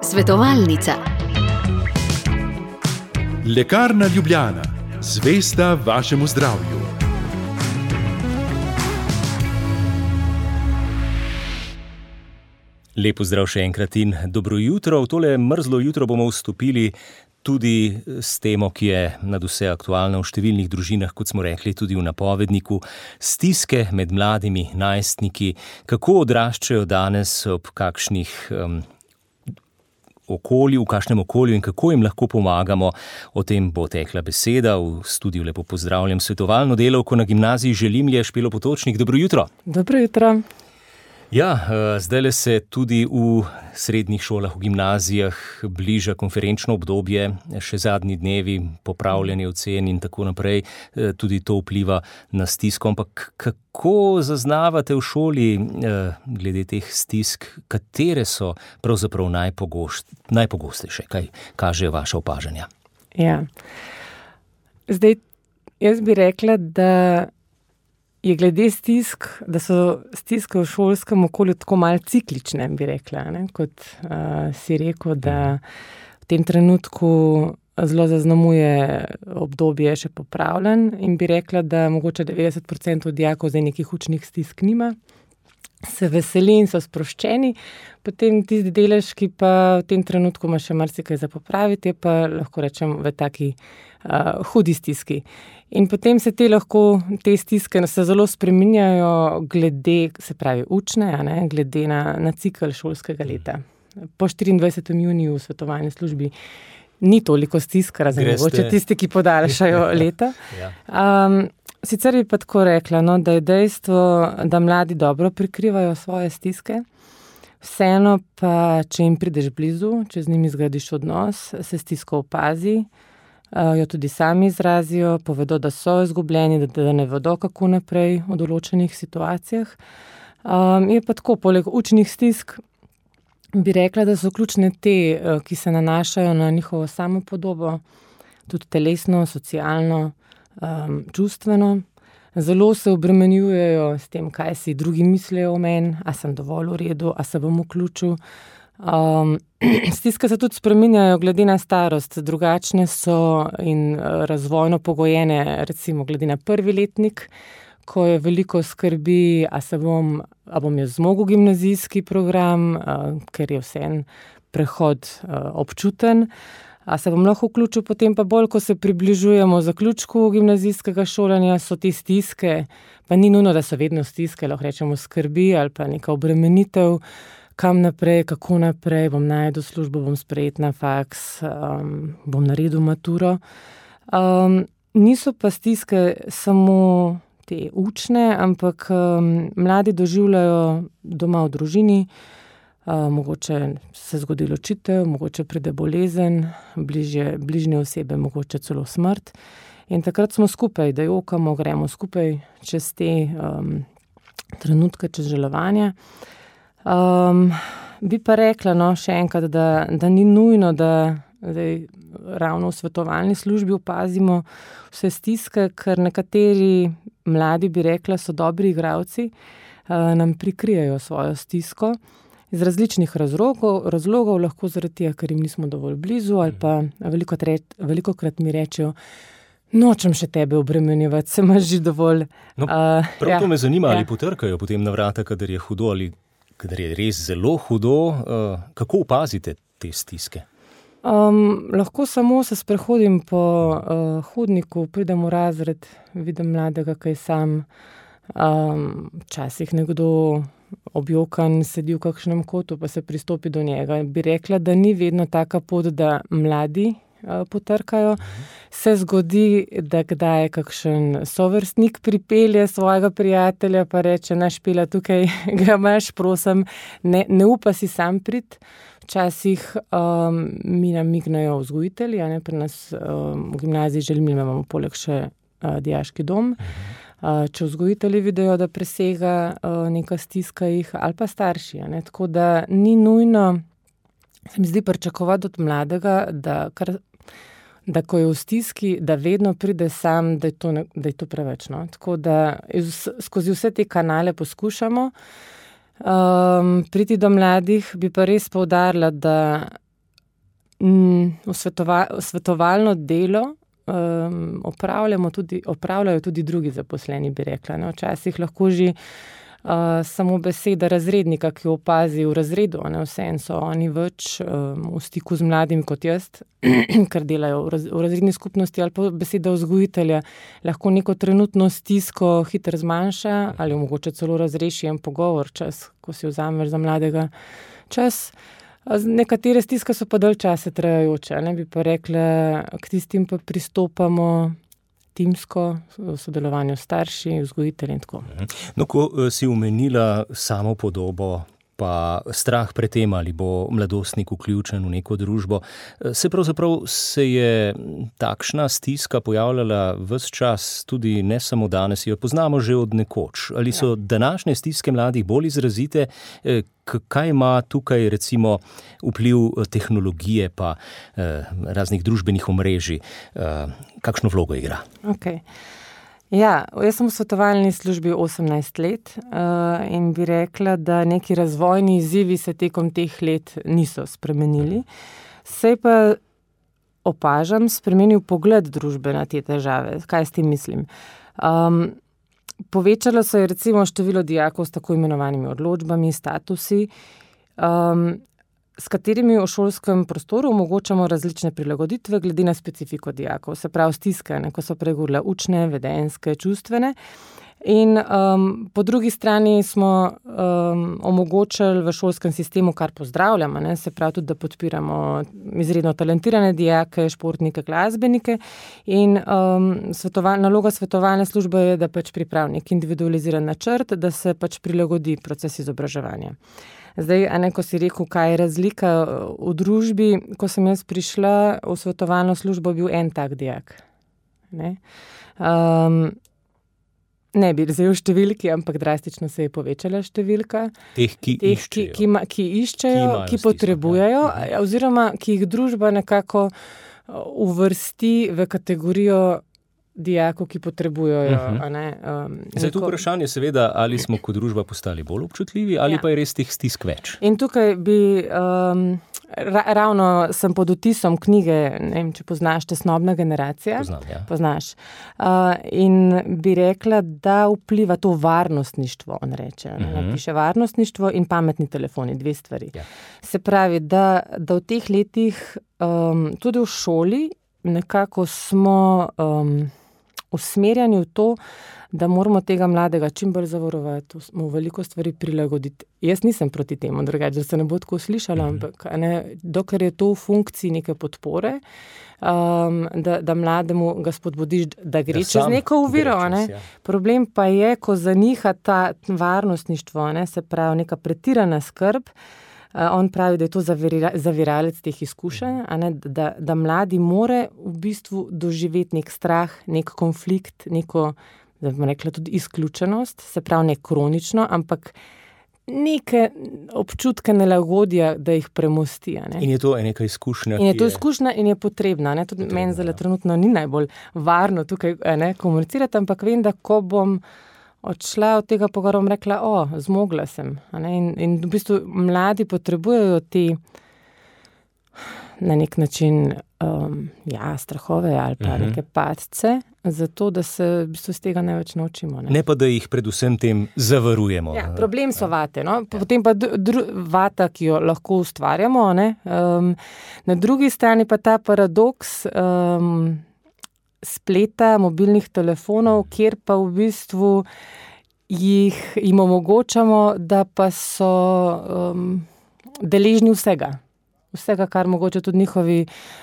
Svetovalnica. Lekarna Ljubljana, zvesta vašemu zdravju. Lep pozdrav še enkrat in dobro jutro. V tole mrzlo jutro bomo vstopili tudi s temo, ki je nadvse aktualna v številnih družinah, kot smo rekli tudi v napovedniku. Stiske med mladimi najstniki, kako odraščajo danes, ob kakšnih v kakšnem okolju in kako jim lahko pomagamo. O tem bo tekla beseda. V studiu lepo pozdravljam svetovalno delavko na gimnaziji Želimlje, Špelo Potočnik. Dobro jutro. Dobro jutro. Ja, zdajle se tudi v srednjih šolah, v gimnazijah bliža konferenčno obdobje, še zadnji dnevi, popravljanje ocen in tako naprej. Tudi to vpliva na stisko. Ampak kako zaznavate v šoli glede teh stisk, katere so pravzaprav najpogostejše? Kaj kažejo vaša opažanja? Ja. Zdaj, jaz bi rekla, da je glede stisk, da so stiske v šolskem okolju tako malo ciklične, bi rekla, ne? Kot si rekel, da v tem trenutku zelo zaznamuje obdobje še popravljen in bi rekla, da mogoče 90% dijakov zdaj nekih učnih stisk nima, se veseli in so sproščeni, potem tisti delež, ki pa v tem trenutku ima še marsikaj za popraviti, je pa lahko rečem v taki hudi stiski. In potem se te stiske se zelo spreminjajo glede, se pravi učne, glede na cikel šolskega leta. Po 24. juniju v svetovalni službi ni toliko stisk, razen mogoče tisti, ki podaljšajo leta. Sicer bi pa tako rekla, da je dejstvo, da mladi dobro prikrivajo svoje stiske, vseeno pa, če jim prideš blizu, če z njimi zgradiš odnos, se stisko opazi, jo tudi sami izrazijo, povedo, da so izgubljeni, da ne vedo, kako naprej v določenih situacijah. Je pa tako, poleg učnih stisk, bi rekla, da so ključne te, ki se nanašajo na njihovo samopodobo, tudi telesno, socialno, čustveno. Zelo se obremenjujejo s tem, kaj si drugi mislijo o meni, a sem dovolj v redu, a se bom vključil. Stiske se tudi spreminjajo glede na starost, drugačne so in razvojno pogojene, recimo glede na prvi letnik, ko je veliko skrbi, a bom jaz zmogel gimnazijski program, ker je vseeno prehod občuten, a se bom lahko vključil, potem pa bolj, ko se približujemo zaključku gimnazijskega šolanja, so te stiske, pa ni nujno, da so vedno stiske, lahko rečemo skrbi ali pa neka obremenitev, kam naprej, kako naprej, bom našel službo, bom sprejet na faks, bom naredil maturo. Niso pa stiske samo te učne, ampak mladi doživljajo doma v družini, mogoče se zgodi ločitev, mogoče pride bolezen, bližnje osebe, mogoče celo smrt. In takrat smo skupaj, da jokamo, gremo skupaj čez te trenutke, čez žalovanja. Bi pa rekla, še enkrat, da ni nujno, da ravno v svetovalni službi opazimo vse stiske, ker nekateri mladi, bi rekla, so dobri igralci, nam prikrijejo svojo stisko iz različnih razlogov, lahko zaradi tega, ker jim nismo dovolj blizu, ali pa velikokrat mi rečejo, nočem še tebe obremenjevati, se imaš že dovolj. To me zanima, ali potrkajo potem na vrata, kadar je hudo ali kadar je res zelo hudo. Kako opazite te stiske? Lahko samo se sprehodim po hodniku, pridem v razred, vidim mladega, kaj sam, včasih nekdo objokan sedi v kakšnem kotu, pa se pristopi do njega. Bi rekla, da ni vedno taka pot, da mladi potrkajo. Se zgodi, da kdaj kakšen sovrstnik pripelje svojega prijatelja, pa reče, naš Špela, tukaj ga imaš, prosim, ne upa si sam priti. Včasih mi namignajo vzgojitelji, pri nas v gimnaziji Želimlje imamo poleg še dijaški dom. Če vzgojitelji vidijo, da presega neka stiska jih, ali pa starši. Tako da ni nujno, se mi zdi pričakovati od mladega, da ko je v stiski, da vedno pride sam, da je to preveč. Tako da skozi vse te kanale poskušamo. Priti do mladih bi pa res poudarila, da svetovalno delo opravljajo tudi drugi zaposleni, bi rekla. Ne? Včasih lahko že samo beseda razrednika, ki opazi v razredu, vseeno so oni več v stiku z mladimi kot jaz, ker delajo v razredni skupnosti, ali pa beseda vzgojitelja lahko neko trenutno stisko hitro zmanjša ali mogoče celo razreši en pogovor čas, ko si vzameš za mladega čas. Nekatere stiske so pa dalj časa trajajoče, bi pa rekla, k tistim pa pristopamo timsko, v sodelovanju s starši, vzgojitelji in tako. No, ko si omenila samo podobo, pa strah pred tem, ali bo mladostnik vključen v neko družbo, se je takšna stiska pojavljala ves čas, tudi ne samo danes, jo poznamo že od nekoč. Ali so današnje stiske mladih bolj izrazite? Kaj ima tukaj recimo vpliv tehnologije pa raznih družbenih omrežij? Kakšno vlogo igra? Okay. Ja, jaz sem v svetovalni službi 18 let in bi rekla, da neki razvojni izzivi se tekom teh let niso spremenili. Se pa opažam, spremenil pogled družbe na te težave. Kaj s tem mislim? Povečalo se je recimo število dijakov s tako imenovanimi odločbami, statusi, s katerimi v šolskem prostoru omogočamo različne prilagoditve glede na specifiko dijakov, se pravi stiske, ko so pregovorila učne, vedenjske, čustvene. In po drugi strani smo omogočili v šolskem sistemu, kar pozdravljamo, se pravi tudi, da podpiramo izredno talentirane dijake, športnike, glasbenike. In naloga svetovalne službe je, da pač pripravi nek individualiziran načrt, da se pač prilagodi proces izobraževanja. Zdaj, ko si rekel, kaj je razlika v družbi, ko sem jaz prišla v svetovalno službo, bil en tak dijak. Ne bi zdaj v številki, ampak drastično se je povečala številka. Teh, ki iščejo, ki potrebujejo, oziroma ki jih družba nekako uvrsti v kategorijo dijakov, ki potrebujejo. Zdaj, tu vprašanje seveda, ali smo kot družba postali bolj občutljivi, ali pa je res teh stisk več. In tukaj bi, ravno sem pod vtisom knjige, ne vem, če poznaš Tesnobna generacija. Poznam, ja. Poznaš. In bi rekla, da vpliva to varnostništvo, on reče. Piše varnostništvo in pametni telefoni, dve stvari. Ja. Se pravi, da v teh letih tudi v šoli nekako smo usmerjeni v to, da moramo tega mladega čim bolj zavarovati, mu veliko stvari prilagoditi. Jaz nisem proti temu, drugače, da se ne bo tako slišala, ampak dokler je to v funkciji neke podpore, da mlademu ga spodbudiš, da gre čez neko oviro. Problem pa je, ko zaniha ta varnostništvo, se pravi neka pretirana skrb. On pravi, da je to zaviralec teh izkušenj, da mladi more v bistvu doživeti nek strah, nek konflikt, neko, da bi rekla, tudi izključenost, se pravi ne kronično, ampak neke občutke nelagodja, da jih premosti. In je to neka izkušnja, in je to izkušnja in je potrebna. Tudi meni zdaj trenutno ni najbolj varno tukaj komunicirati, ampak vem, da ko bom odšla od tega pogovora, bom rekla, zmogla sem. In v bistvu mladi potrebujejo te na nek način strahove ali pa neke padce, zato da se v bistvu z tega največ naučimo. Ne pa, da jih predvsem tem zavarujemo. Ja, problem so vate. Potem pa vata, ki jo lahko ustvarjamo. Na drugi strani pa ta paradoks spleta, mobilnih telefonov, kjer pa v bistvu jim omogočamo, da pa so deležni vsega, kar mogoče tudi njihovi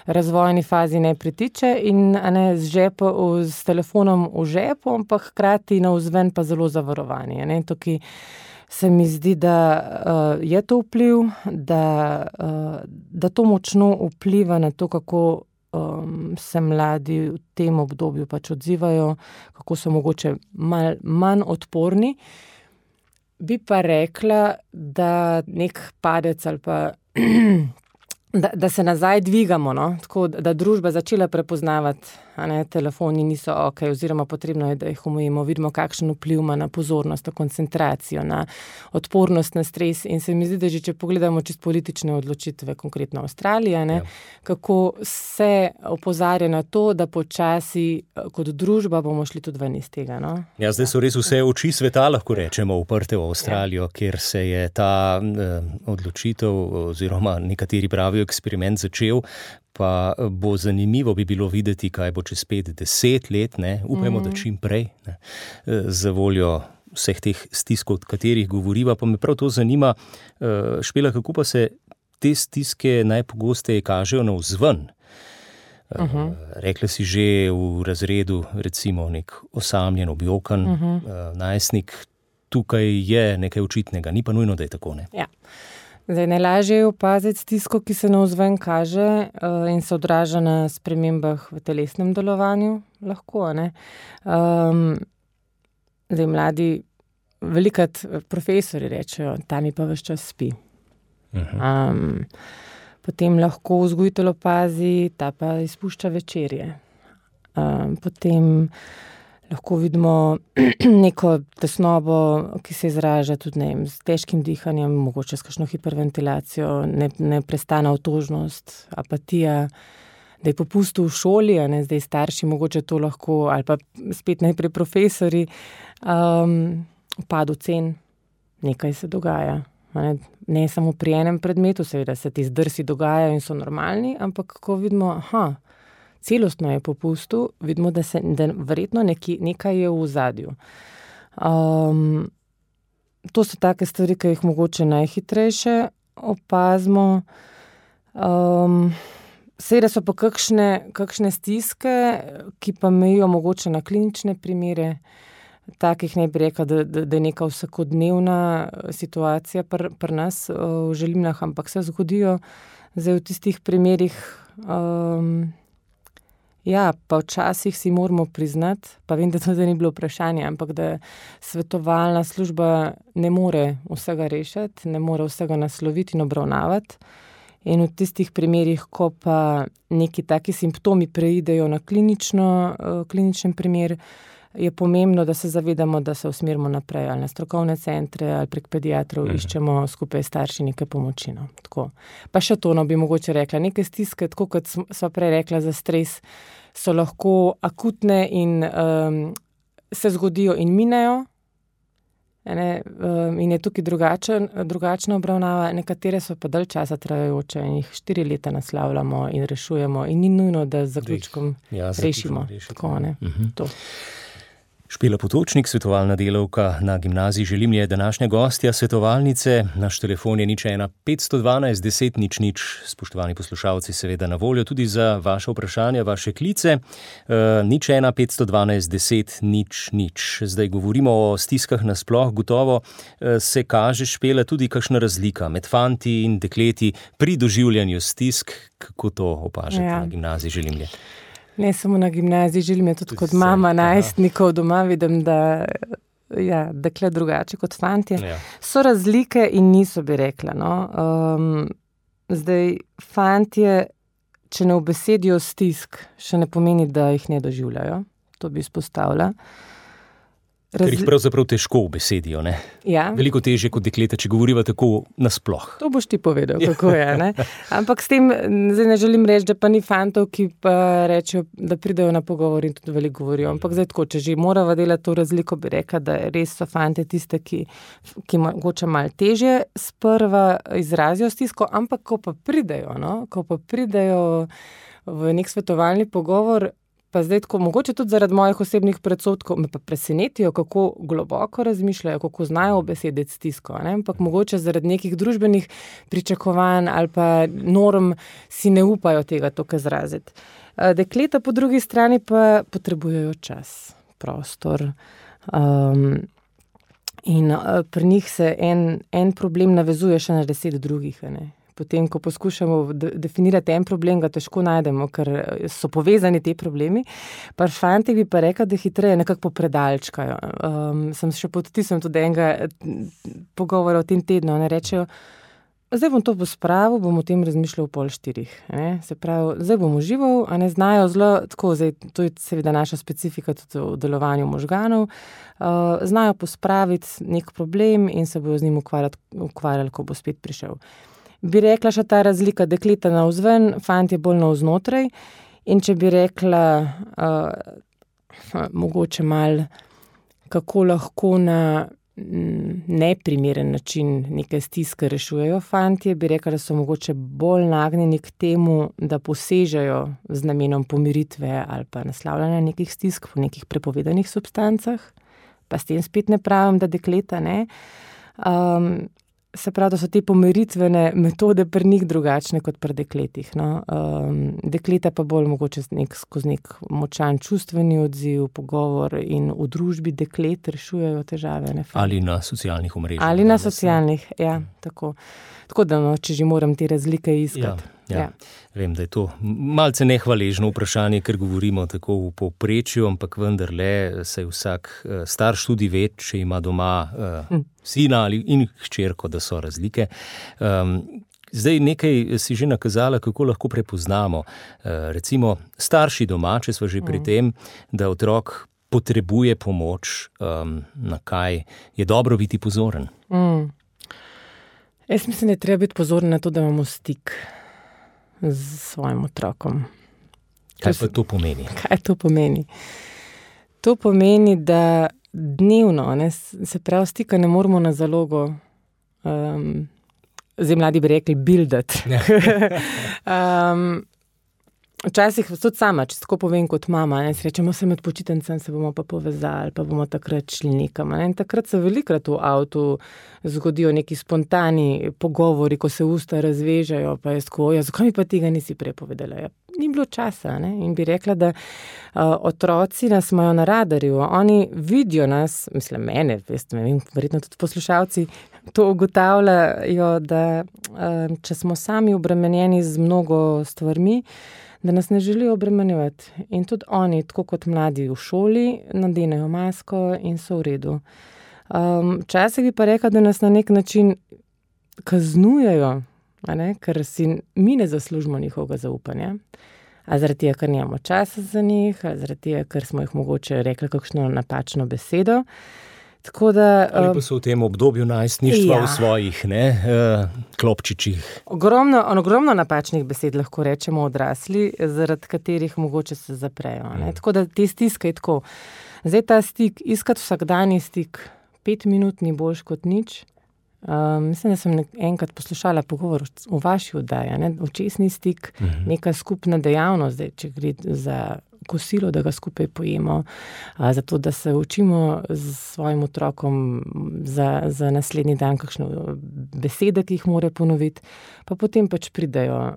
razvojni fazi ne pritiče in s telefonom v žepu, ampak hkrati navzven pa zelo zavarovani. Tukaj se mi zdi, da je to vpliv, da to močno vpliva na to, kako se mladi v tem obdobju pač odzivajo, kako so mogoče manj odporni. Bi pa rekla, da nek padec ali pa da se nazaj dvigamo, no? Tako da družba začela prepoznavati, telefoni niso ok, oziroma potrebno je, da jih omejimo, vidimo, kakšen vpliv ima na pozornost, na koncentracijo, na odpornost na stres in se mi zdi, da že če pogledamo čist politične odločitve, konkretno Avstralija, kako se opozarja na to, da počasi kot družba bomo šli tudi ven iz tega. No? Ja, zdaj so res vse oči sveta, lahko rečemo, uprte v Avstralijo, kjer se je ta odločitev oziroma nekateri pravijo eksperiment začel, pa bo zanimivo bi bilo videti, kaj bo čez 5-10 let, upajmo, da čim prej, za voljo vseh teh stiskov, od katerih govoriva, pa me prav to zanima, Špela, kako pa se te stiske najpogosteje kažejo navzven? Rekla si že v razredu, recimo nek osamljen, objokan najstnik, tukaj je nekaj očitnega, ni pa nujno, da je tako, ne? Ja. Zdaj, najlažje je opaziti stisko, ki se navzven kaže in se odraža na spremembah v telesnem delovanju, lahko, ne. Zdaj, mladi, velikrat profesori rečejo, ta mi pa ves čas spi. Potem lahko vzgojitelj opazi, ta pa izpušča večerje. Potem lahko vidimo neko tesnobo, ki se izraža tudi s težkim dihanjem, mogoče s kakšno hiperventilacijo, neprestana otožnost, apatija, da je popustil v šoli, zdaj starši mogoče to lahko, ali pa spet najprej profesori, upad ocen, nekaj se dogaja. Ne samo pri enem predmetu, seveda se ti zdrsi dogajajo in so normalni, ampak ko vidimo, celostno je popustil, vidimo, da verjetno nekaj je v ozadju. To so take stvari, ki jih mogoče najhitrejše opazimo. Seveda so pa kakšne stiske, ki pa mejijo mogoče na klinične primere, takih ne bi rekla, da je neka vsakodnevna situacija pri nas v želimnah, ampak se zgodijo zdaj v tistih primerih. Ja, pa včasih si moramo priznati, pa vem, da to ni bilo vprašanje, ampak da svetovalna služba ne more vsega rešiti, ne more vsega nasloviti in obravnavati. In v tistih primerih, ko pa neki taki simptomi preidejo na kliničen primer, je pomembno, da se zavedamo, da se usmerimo naprej ali na strokovne centre ali prek pediatrov, iščemo skupaj starši nekaj pomoči. No. Tako. Pa še to, bi mogoče rekla, neke stiske, tako kot sva prej rekla za stres, so lahko akutne in se zgodijo in minejo. In je tukaj drugačna obravnava, nekatere so pa dalj časa trajajoče in jih 4 leta naslavljamo in rešujemo in ni nujno, da z zaključkom rešimo. Tako, to. Špela Potočnik, svetovalna delavka na Gimnaziji Želimlje, je današnja gostja svetovalnice. Naš telefon je 01 512 10 00. Spoštovani poslušalci, seveda na voljo tudi za vaše vprašanja, vaše klice. 01 512 10 00. Zdaj govorimo o stiskah nasploh. Gotovo se kaže, Špela, tudi kakšna razlika med fanti in dekleti pri doživljanju stisk. Kako to opažate na Gimnaziji Želimlje? Ne samo na Gimnaziji Želimlje, tudi kot mama najstnikov doma vidim, da dekle drugače kot fantje. So razlike in niso, bi rekla. No. Zdaj, fantje, če ne ubesedijo stisk, še ne pomeni, da jih ne doživljajo. To bi izpostavila. Ker jih pravzaprav težko ubesedijo, ne? Ja. Veliko težje kot dekleta, če govoriva tako nasploh. To boš ti povedal, kako je, ne? Ampak s tem, zdaj ne želim reči, da pa ni fantov, ki pa rečejo, da pridejo na pogovor in tudi veliko govorijo. Ampak zdaj tako, če že morava delati to razliko, bi rekla, da res so fante tiste, ki mogoče malo težje sprva izrazijo stisko, ampak ko pa pridejo v nek svetovalni pogovor, pa zdaj tako, mogoče tudi zaradi mojih osebnih predsodkov, me pa presenetijo, kako globoko razmišljajo, kako znajo obesediti stisko, ne? Ampak mogoče zaradi nekih družbenih pričakovanj ali pa norm si ne upajo tega toliko izraziti. Dekleta po drugi strani pa potrebujejo čas, prostor. In pri njih se en problem navezuje še na 10 drugih, ne? Potem, ko poskušamo definirati en problem, ga težko najdemo, ker so povezani te problemi. Pa fanti bi pa rekla, da hitreje nekako popredalčkajo. Sem še pod vtisom tudi enega pogovora v tem tednu. Ne rečejo, zdaj bom to pospravil, bom o tem razmišljal 3:30. Se pravi, zdaj bom užival, a ne znajo zelo, tako, zdaj, to je seveda naša specifika tudi v delovanju možganov, znajo pospraviti nek problem in se bojo z njim ukvarjali, ko bo spet prišel. Bi rekla še ta razlika, dekleta navzven, fantje bolj navznotraj, in če bi rekla mogoče malo, kako lahko na neprimeren način neke stiske rešujejo fantje, bi rekla, da so mogoče bolj nagnjeni k temu, da posežejo z namenom pomiritve ali pa naslavljanja nekih stisk po nekih prepovedanih substancah, pa s tem spet ne pravim, da dekleta ne. Se pravi, da so te pomiritvene metode pri njih drugačne kot pri dekletih. No. Dekleta pa bolj mogoče skozi nek močan čustveni odziv, pogovor in v družbi deklet rešujejo težave. Ne. Ali na socialnih omrežjih. Ali na socialnih, ja, tako. Tako da, no, če že moram te razlike iskati. Ja. Vem, da je to malce nehvaležno vprašanje, ker govorimo tako v povprečju, ampak vendarle se vsak starš tudi ve, če ima doma sina in hčerko, da so razlike. Zdaj nekaj si že nakazala, kako lahko prepoznamo. Recimo starši doma, če smo že pri tem, da otrok potrebuje pomoč, na kaj je dobro biti pozoren. Jaz mislim, da je treba biti pozoren na to, da imamo stik z svojim otrokom. Kaj pa to pomeni? Kaj to pomeni? To pomeni, da dnevno, se pravi, stika ne moramo na zalogo, zdaj mladi bi rekli, buildati. Včasih tudi sama, če tako povem kot mama, si rečemo, se med počitnicami se bomo pa povezali, pa bomo takrat šli nekam. In takrat se velikokrat v avtu zgodijo neki spontani pogovori, ko se usta razvežajo, pa je tako, zakaj mi pa tega nisi prej povedala? Ni bilo časa. In bi rekla, da otroci nas imajo na radarju, oni vidijo nas, mislim mene, verjetno tudi poslušalci, to ugotavljajo, da če smo sami obremenjeni z mnogo stvarmi, da nas ne želijo obremenjevati. In tudi oni, tako kot mladi v šoli, nadenejo masko in so v redu. Včasih bi pa rekla, da nas na nek način kaznujejo, ker si mi ne zaslužimo njihovega zaupanja. A zaradi tega, ker nimamo časa za njih, a zaradi tega, ker smo jih mogoče rekli kakšno napačno besedo. Tako da, ali pa so v tem obdobju najstništva v svojih klopčičih. Ogromno napačnih besed lahko rečemo odrasli, zaradi katerih mogoče se zaprejo. Tako da te stiske je tako. Zdaj ta stik, iskati vsakdanji stik, 5 minut ni boljš kot nič. Mislim, da sem enkrat poslušala pogovor v vaši oddaji, očesni stik, neka skupna dejavnost, zdaj, če gre za kosilo, da ga skupaj pojemo, zato da se učimo s svojim otrokom za naslednji dan kakšne besede, ki jih mora ponoviti, pa potem pač pridejo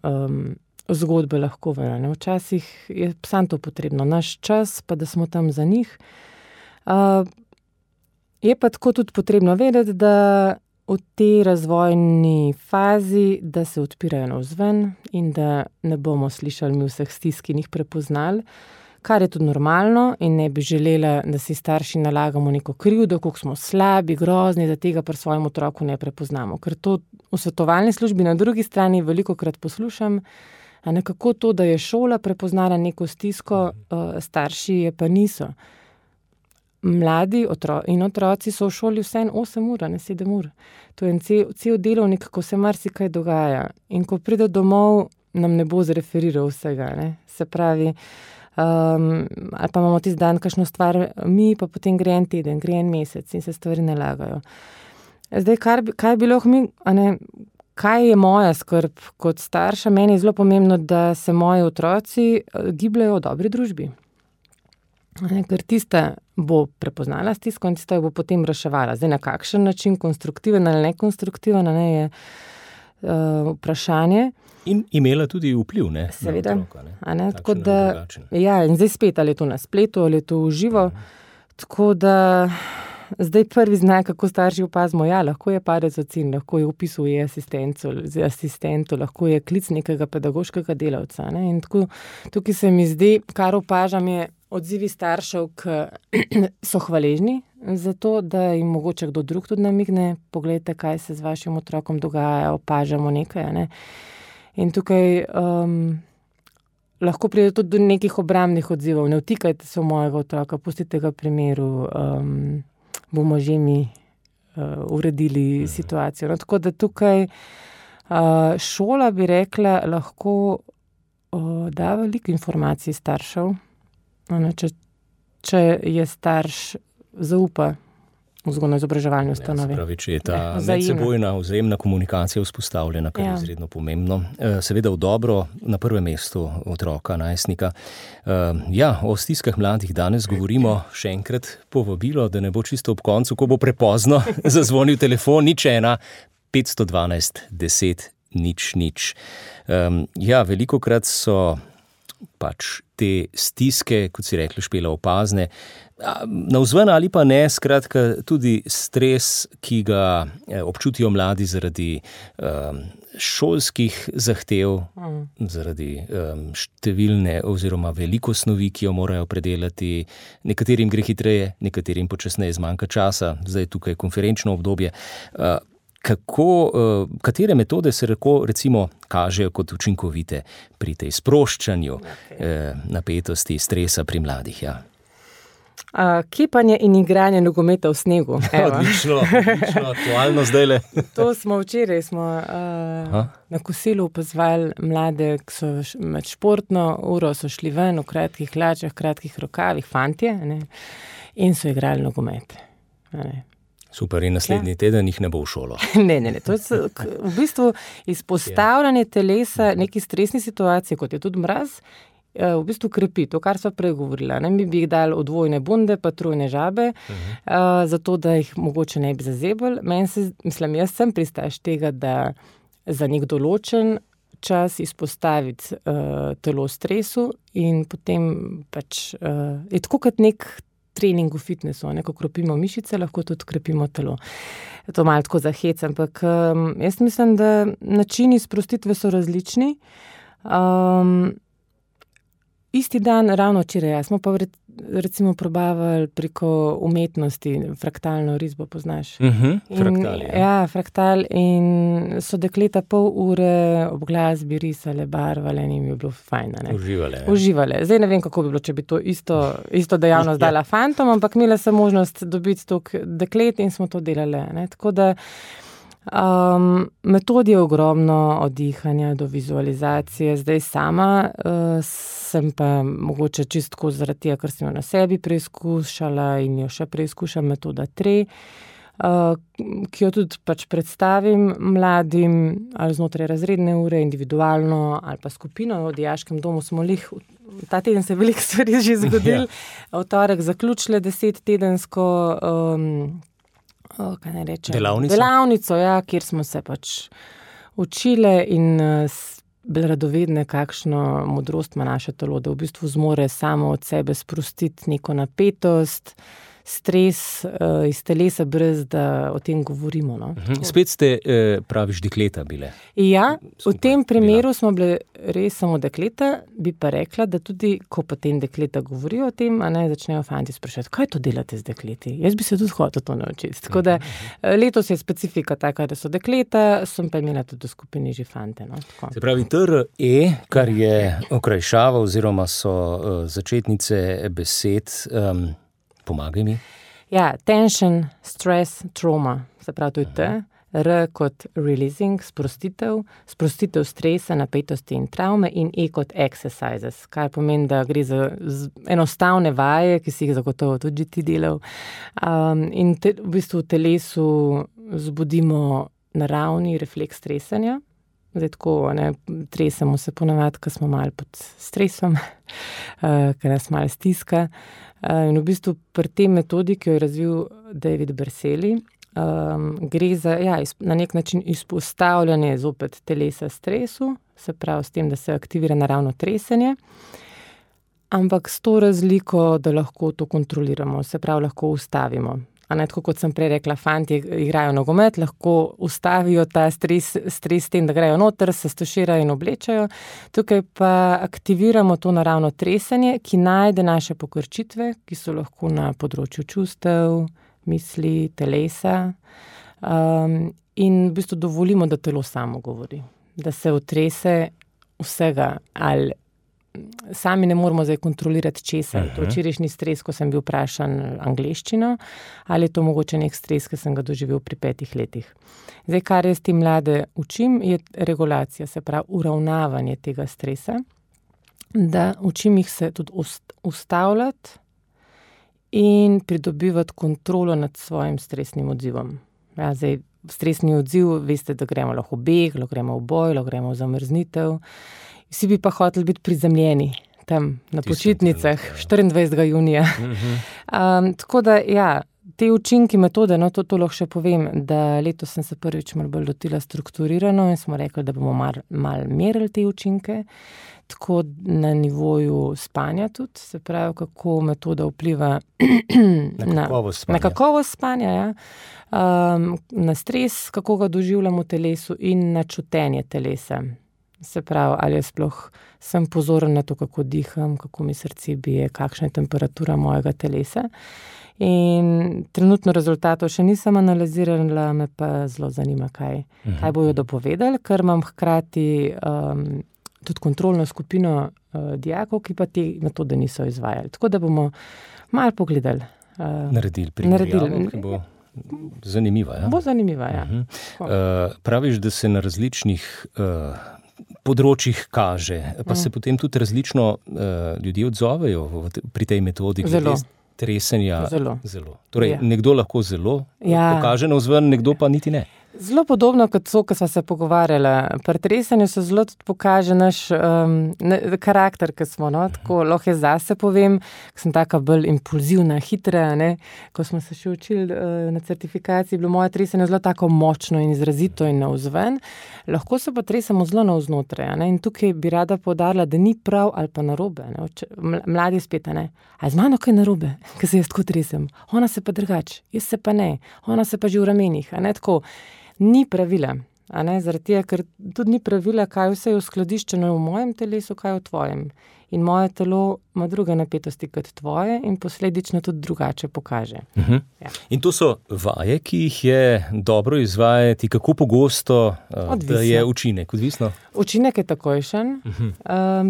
zgodbe lahko ven. Včasih je samo to potrebno, naš čas, pa da smo tam za njih. Je pa tako tudi potrebno vedeti, da v tej razvojni fazi, da se odpirajo navzven in da ne bomo slišali mi vseh stisk in jih prepoznali, kar je tudi normalno in ne bi želela, da si starši nalagamo neko krivdo, koliko smo slabi, grozni, da tega pri svojem otroku ne prepoznamo. Ker to v svetovalni službi na drugi strani velikokrat poslušam, a nekako to, da je šola prepoznala neko stisko, starši je pa niso. Mladi in otroci so v šoli vseeno 8 ur, ne 7 ur. To je cel delovnik, ko se marsikaj dogaja. In ko pride domov, nam ne bo zreferiral vsega. Se pravi, ali pa imamo tisti dan kakšno stvar mi, pa potem gre en teden, gre en mesec in se stvari nalagajo. Zdaj, kaj bi lahko mi, kaj je moja skrb kot starša? Meni je zelo pomembno, da se moji otroci gibljajo v dobri družbi. Ker tista bo prepoznala stisko in tista jo bo potem reševala. Zdaj, na kakšen način, konstruktiven ali nekonstruktiven, je vprašanje. In imela tudi vpliv, seveda, na otroka, tako da, in zdaj spet, ali je to na spletu, ali je to v živo. Tako da, zdaj prvi znak, kako starši opazimo, lahko je padec ocen, lahko je vpis v asistentu, lahko je klic nekega pedagoškega delavca. In tako, tukaj se mi zdi, kar opažam, je odzivi staršev, ki so hvaležni zato da jim mogoče kdo drug tudi namigne, poglejte, kaj se z vašim otrokom dogaja, opažamo nekaj, ne. In tukaj lahko pride tudi do nekih obrambnih odzivov. Ne vtikajte se v mojega otroka, pustite ga primeru, bomo že mi uredili situacijo. No, tako da tukaj šola, bi rekla, lahko da veliko informacij staršev. Če je starš zaupa vzgojno-izobraževalni ustanovi. Pravi, če je ta medsebojna vzajemna komunikacija vzpostavljena, kar je izredno pomembno. Seveda v dobro, na prvem mestu otroka, najstnika. O stiskah mladih danes govorimo, še enkrat povabilo, da ne bo čisto ob koncu, ko bo prepozno zazvonil telefon, 01 512 10 00. Velikokrat so pač te stiske, kot si rekla, Špela, opazne, navzven ali pa ne, skratka tudi stres, ki ga občutijo mladi zaradi šolskih zahtev, zaradi številne oziroma veliko snovi, ki jo morajo predelati. Nekaterim gre hitreje, nekaterim počasneje, zmanjka časa, zdaj tukaj konferenčno obdobje. Katere metode se recimo kažejo kot učinkovite pri tej sproščanju napetosti, stresa pri mladih? Kipanje in igranje nogometa v snegu. Odlično, aktualno zdajle. To smo včeraj na kosilu opazovali mlade, ki so med športno uro so šli ven v kratkih hlačah, kratkih rokavih, fantje, ne, in so igrali nogomet. Super, in naslednji teden jih ne bo v šolo. Ne. To je v bistvu izpostavljanje telesa neki stresni situaciji, kot je tudi mraz, v bistvu krepi to, kar sva prej govorila. Mi bi jih dali odvojne bunde, pa trojne žabe, zato da jih mogoče ne bi zazebali. Jaz sem pristaš tega, da za nek določen čas izpostaviti telo stresu in potem pač je tako kot nek trening v fitnessu, ko krepimo mišice, lahko tudi krepimo telo. To malo tako zahec, ampak jaz mislim, da načini sprostitve so različni. Isti dan, ravno včeraj, smo pa recimo probavali preko umetnosti, fraktalno risbo, poznaš? Fraktal, fraktal, in so dekleta pol ure ob glasbi risale, barvale in jim je bilo fajn. Uživale. Zdaj ne vem, kako bi bilo, če bi to isto dejavnost dala fantom, ampak imela sem možnost dobiti toliko deklet in smo to delali. Tako da metod je ogromno, od dihanja do vizualizacije. Zdaj sama sem pa mogoče čistko zaradi tega, ker sem jo na sebi preizkušala in jo še preizkušam, metoda 3, ki jo tudi pač predstavim mladim ali znotraj razredne ure, individualno ali pa skupino. V dijaškem domu smo ta teden se veliko stvari že zgodili. V torek zaključile 10-tedensko delavnico, kjer smo se pač učile in bile radovedne, kakšno modrost ima naše telo, da v bistvu zmore samo od sebe sprostiti neko napetost, stres iz telesa, brez da o tem govorimo. No. Spet ste, praviš, dekleta bile. Ja, v tem primeru smo bile res samo dekleta, bi pa rekla, da tudi, ko potem dekleta govorijo o tem, začnejo fanti sprašati, kaj to delate z dekleti? Jaz bi se tudi hotel to naučiti. Tako da letos je specifika taka, da so dekleta, sem pa imela tudi v skupini že fante. No, se pravi, TRE, kar je okrajšava oziroma so začetnice besed, pomagaj mi. Ja, tension, stress, trauma, se pravi, to je T, R kot releasing, sprostitev stresa, napetosti in travme in E kot exercises, kar pomeni, da gre za enostavne vaje, ki si jih zagotovo tudi ti delal. In v bistvu v telesu zbudimo naravni refleks stresanja. Zdaj tako, tresemo se ponavadi, ko smo malo pod stresom, ker nas malo stiska. In v bistvu pri tej metodi, ki jo je razvil David Berceli, gre za na nek način izpostavljanje zopet telesa stresu, se pravi s tem, da se aktivira naravno tresenje, ampak s to razliko, da lahko to kontroliramo, se pravi lahko ustavimo. Tako kot sem prej rekla, fanti igrajo nogomet, lahko ustavijo ta stres s tem, da grejo noter, se stoširajo in oblečajo. Tukaj pa aktiviramo to naravno tresenje, ki najde naše pokrčitve, ki so lahko na področju čustev, misli, telesa, in v bistvu dovolimo, da telo samo govori, da se otrese vsega, ali sami ne moramo zdaj kontrolirati česa. To je včerajšnji stres, ko sem bil vprašan angleščino, ali je to mogoče nek stres, ki sem ga doživel pri 5 letih. Zdaj, kar jaz ti mlade učim, je regulacija, se pravi uravnavanje tega stresa, da učim jih se tudi ustavljati in pridobivati kontrolo nad svojim stresnim odzivom. Ja, zdaj, stresni odziv, veste, da gremo lahko v beg, lahko gremo v boj, lahko gremo v zamrznitev. Vsi bi pa hoteli biti prizemljeni tam na počitnicah 24. junija. Tako da, ja, te učinki metode, no, to lahko še povem, da letos sem se prvič malo bolj lotila strukturirano in smo rekli, da bomo malo merili te učinke, tako na nivoju spanja tudi, se pravi, kako metoda vpliva na kakovost spanja, ja. Na stres, kako ga doživljamo v telesu in na čutenje telesa. Se pravi, ali sploh sem pozoren na to, kako diham, kako mi srce bije, kakšna je temperatura mojega telesa. In trenutno rezultatov še nisem analizirala, me pa zelo zanima, kaj bojo dopovedali, ker imam hkrati tudi kontrolno skupino dijakov, ki pa te metode niso izvajali. Tako da bomo malo pogledali. Naredili primerjavo, ki bo zanimiva. Ja? Bo zanimiva, ja. Praviš, da se na različnih področjih kaže, pa se potem tudi različno ljudje odzovejo pri tej metodi. Zelo. Tresenja. Zelo. Torej, nekdo lahko zelo pokaže navzven, nekdo pa niti ne. Zelo podobno kot so, ko sva se pogovarjala. Pri tresenju se zelo tudi pokaže naš karakter, ki smo, no, tako lahko je zase povem, ko sem taka bolj impulzivna, hitra, ne. Ko smo se še učili na certifikaciji, bilo moje tresenje zelo tako močno in izrazito in navzven. Lahko se pa tresemo zelo navznotraj, ne. In tukaj bi rada poudarila, da ni prav ali pa narobe, ne. Mladi spet, ne. A z mano kaj narobe, ko se jaz tako tresem? Ona se pa drugače, jaz se pa ne. Ona se pa že v ramenih, a ne, tako. Ni pravila, a ne, zaradi tega, ker tudi ni pravila, kaj vse je uskladiščeno v mojem telesu, kaj v tvojem. In moje telo ima druge napetosti kot tvoje in posledično tudi drugače pokaže. Ja. In to so vaje, ki jih je dobro izvajati, kako pogosto, da je učinek, odvisno? Učinek je takojšen,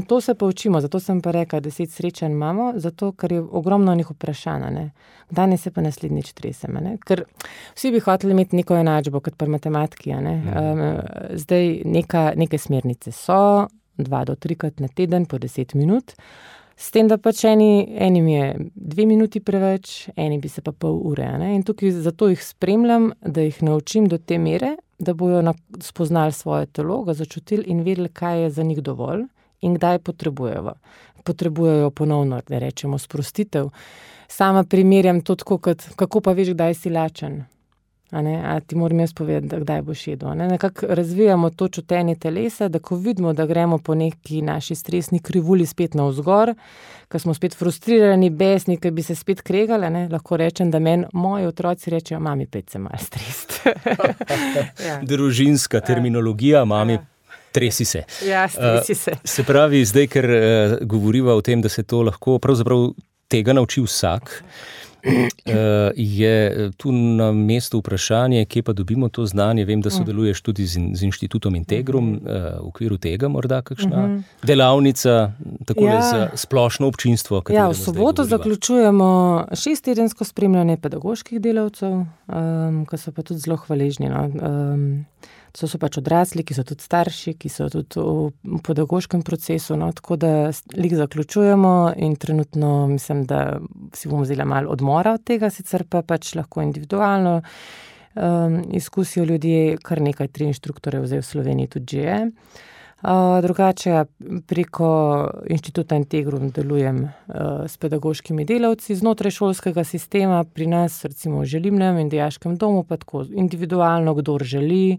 to se pa učimo, zato sem pa rekla, 10 srečanj imamo, zato ker je ogromno njih vprašanja, ne. Danes se pa naslednjič tresem, ne. Ker vsi bi hoteli imeti neko enačbo, kot pri matematiki, ne. Zdaj neke smernice so, 2 do 3 na teden po 10 minut, s tem, da pač enim je 2 minuti preveč, eni bi se pa pol ure, ne. In tukaj zato jih spremljam, da jih naučim do te mere, da bojo spoznali svoje telo, ga začutili in vedeli, kaj je za njih dovolj in kdaj potrebujejo ponovno, da rečemo, sprostitev. Sama primerjam to tako, kako pa veš, kdaj si lačen. A ti moram jaz povedati, kdaj boš jedel. Nekako razvijamo to čutenje telesa, da ko vidimo, da gremo po neki naši stresni krivulji spet navzgor, ko smo spet frustrirani, besni, ko bi se spet kregali, lahko rečem, da moji otroci rečejo, mami, pet se malo strest. Ja. Družinska terminologija, mami, tresi se. Ja, stresi se. Se pravi, zdaj, ker govoriva o tem, da se to lahko pravzaprav tega nauči vsak, je tu na mestu vprašanje, kje pa dobimo to znanje. Vem, da sodeluješ tudi z Inštitutom Integrum, v okviru tega morda kakšna delavnica, takole za splošno občinstvo. Ja, v soboto zaključujemo 6-tedensko spremljanje pedagoških delavcev, ki so pa tudi zelo hvaležni, no. To so pač odrasli, ki so tudi starši, ki so tudi v pedagoškem procesu, no, tako da lik zaključujemo in trenutno mislim, da si bomo vzeli malo odmora od tega, sicer pa pač lahko individualno izkusijo ljudje, kar nekaj 3 inštruktorjev zdaj v Sloveniji tudi že je. Drugače preko Inštituta Integrum delujem s pedagoškimi delavci znotraj šolskega sistema, pri nas recimo v Želimnem in dijaškem domu, pa tako individualno, kdor želi.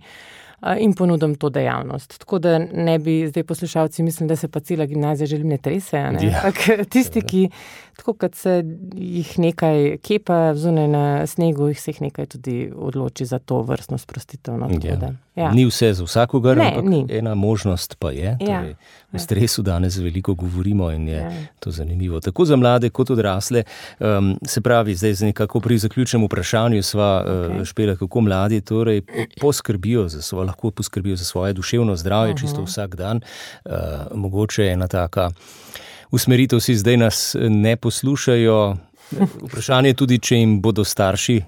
in ponudim to dejavnost. Tako da ne bi zdaj poslušalci mislili, da se pa cela gimnazija želim ne trese. Ja. Tisti, ki tako kot se jih nekaj kepa zunaj na snegu, se jih nekaj tudi odloči za to vrstno sprostitev. No, ja. Ni vse za vsakogar, ampak ena možnost pa je. Torej, v stresu danes veliko govorimo in je to zanimivo. Tako za mlade kot odrasle. Se pravi, zdaj nekako pri zaključnem vprašanju sva Špela, kako mladi torej lahko poskrbijo za svoje duševno zdravje čisto vsak dan. Mogoče je ena taka usmeritev, si zdaj nas ne poslušajo. Vprašanje je tudi, če jim bodo starši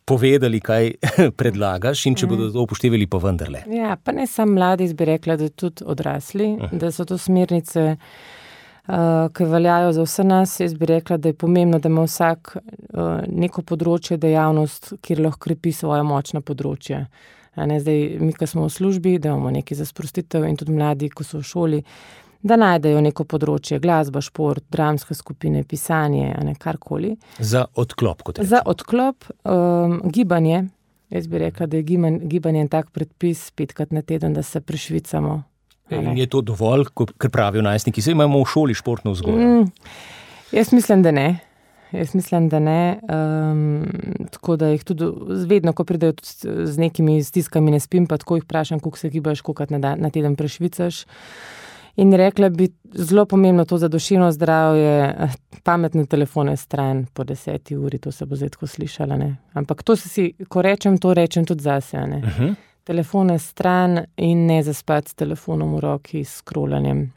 povedali, kaj predlagaš in če bodo to upoštevali pa vendarle. Ja, pa ne samo mladi, bi rekla, da tudi odrasli, da so to smernice, ki veljajo za vse nas. Jaz bi rekla, da je pomembno, da ima vsak neko področje, dejavnost, kjer lahko krepi svoje močno področje. Zdaj, mi, ko smo v službi, da imamo nekaj za sprostitev in tudi mladi, ko so v šoli, da najdejo neko področje, glasba, šport, dramske skupine, pisanje, karkoli. Za odklop, kot rečem. Za odklop, gibanje. Jaz bi rekla, da je gibanje en tak predpis 5-krat na teden, da se prešvicamo. In je to dovolj, ker pravijo najstniki, saj imamo v šoli športno vzgojo? Jaz mislim, da ne. Tako da jih tudi vedno, ko pridejo z nekimi stiskami, ne spim, pa tako jih vprašam, koliko se gibaš, koliko na teden prešvicaš. In rekla bi, zelo pomembno to za duševno zdravje, pametne telefone stran po 10 uri, to se bo zdaj tako slišala, ne. Ampak to ko rečem, to rečem tudi zase, ne. Telefone stran in ne zaspati s telefonom v roki, s scrollanjem,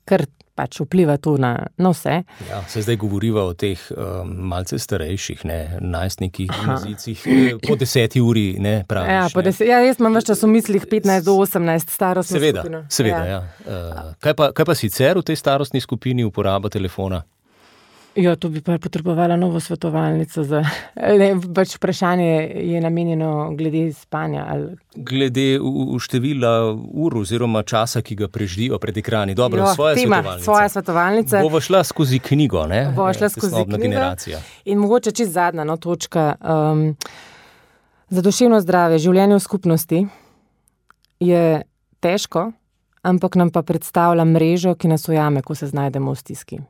ker pač vpliva to na vse. Ja, se zdaj govoriva o teh malce starejših, najstnikih, gimnazijcih, po 10 uri, ne, praviš. Jaz imam več čas v mislih 15 do 18 starostno skupino. Seveda, ja. Kaj pa sicer v tej starostni skupini uporaba telefona? Ja, to bi pa potrebovala novo svetovalnico. Pač vprašanje je namenjeno glede spanja. Glede števila ur oziroma časa, ki ga preživijo pred ekrani. Dobro, svoja svetovalnica. Bova šla skozi knjigo, ne? Bova šla skozi knjigo. Generacija. In mogoče čisto zadnja točka. Za duševno zdravje, življenje v skupnosti je težko, ampak nam pa predstavlja mrežo, ki nas ujame, ko se znajdemo v stiski.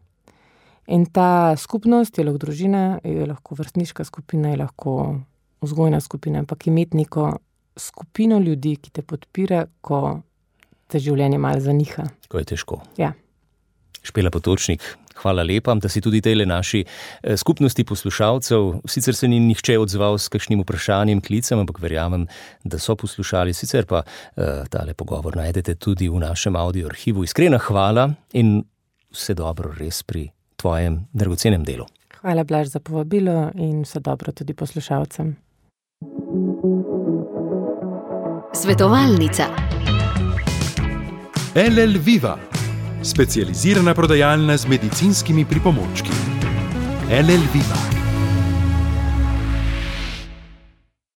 In ta skupnost je lahko družina, je lahko vrstniška skupina, je lahko vzgojna skupina, ampak imeti neko skupino ljudi, ki te podpira, ko te življenje malo zaniha. Ko je težko. Ja. Špela Potočnik, hvala lepa, da si tudi tejle naši skupnosti poslušalcev. Sicer se ni nihče odzval s kakšnim vprašanjem, klicem, ampak verjamem, da so poslušali. Sicer pa tale pogovor najdete tudi v našem audio arhivu. Iskrena hvala in vse dobro res pri tvojem dragocenem delu. Hvala, Blaž, za povabilo in vse dobro tudi poslušalcem. Svetovalnica. LL Viva, specializirana prodajalna z medicinskimi pripomočki. LL Viva.